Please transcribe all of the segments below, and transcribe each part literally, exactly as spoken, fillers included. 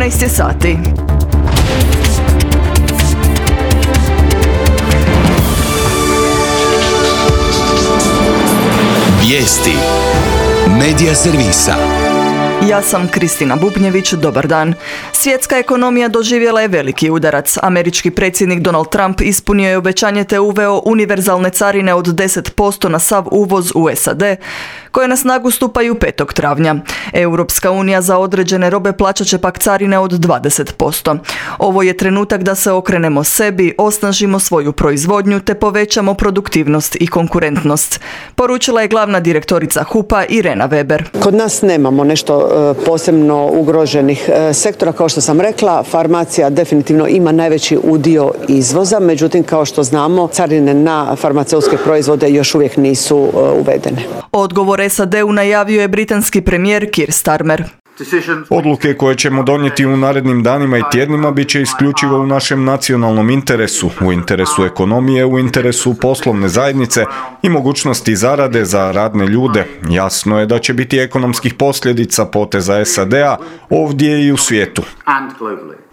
trinaest je sati. Vijesti Medija servisa. Ja sam Kristina Bubnjević, dobar dan. Svjetska ekonomija doživjela je veliki udarac. Američki predsjednik Donald Trump ispunio je obećanje te uveo univerzalne carine od deset posto na sav uvoz u S A D, koje na snagu stupaju petog travnja. Europska unija za određene robe plaćat će pak carine od dvadeset posto. Ovo je trenutak da se okrenemo sebi, osnažimo svoju proizvodnju te povećamo produktivnost i konkurentnost, poručila je glavna direktorica H U P-a Irena Weber. Kod nas nemamo nešto posebno ugroženih sektora, kao što sam rekla, farmacija definitivno ima najveći udio izvoza, međutim kao što znamo carine na farmaceutske proizvode još uvijek nisu uvedene. Odgovor S A D-u najavio je britanski premijer Keir Starmer. Odluke koje ćemo donijeti u narednim danima i tjednima bit će isključivo u našem nacionalnom interesu, u interesu ekonomije, u interesu poslovne zajednice i mogućnosti zarade za radne ljude. Jasno je da će biti ekonomskih posljedica poteza S A D-a ovdje i u svijetu.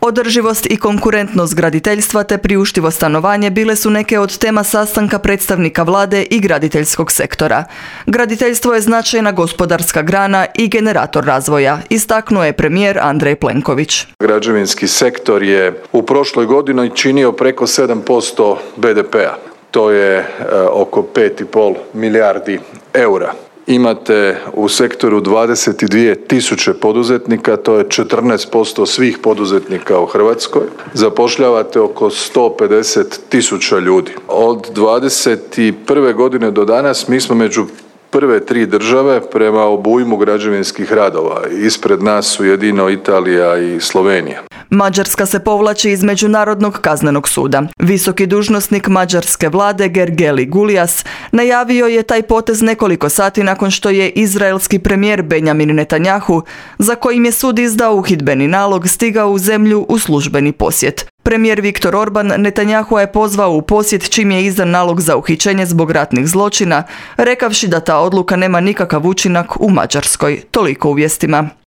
Održivost i konkurentnost graditeljstva te priuštivo stanovanje bile su neke od tema sastanka predstavnika vlade i graditeljskog sektora. Graditeljstvo je značajna gospodarska grana i generator razvoja, istaknuo je premijer Andrej Plenković. Građevinski sektor je u prošloj godini činio preko sedam posto B D P-a. To je e, oko pet i pol milijardi eura. Imate u sektoru dvadeset dvije tisuće poduzetnika, to je četrnaest posto svih poduzetnika u Hrvatskoj. Zapošljavate oko sto pedeset tisuća ljudi. Od dvadeset prve godine do danas mi smo među prve tri države prema obujmu građevinskih radova. Ispred nas su jedino Italija i Slovenija. Mađarska se povlači iz Međunarodnog kaznenog suda. Visoki dužnosnik mađarske vlade Gergely Gulyas najavio je taj potez nekoliko sati nakon što je izraelski premijer Benjamin Netanjahu, za kojim je sud izdao uhidbeni nalog, stigao u zemlju u službeni posjet. Premijer Viktor Orban Netanjahua je pozvao u posjet čim je izdan nalog za uhićenje zbog ratnih zločina, rekavši da ta odluka nema nikakav učinak u Mađarskoj. Toliko u vijestima.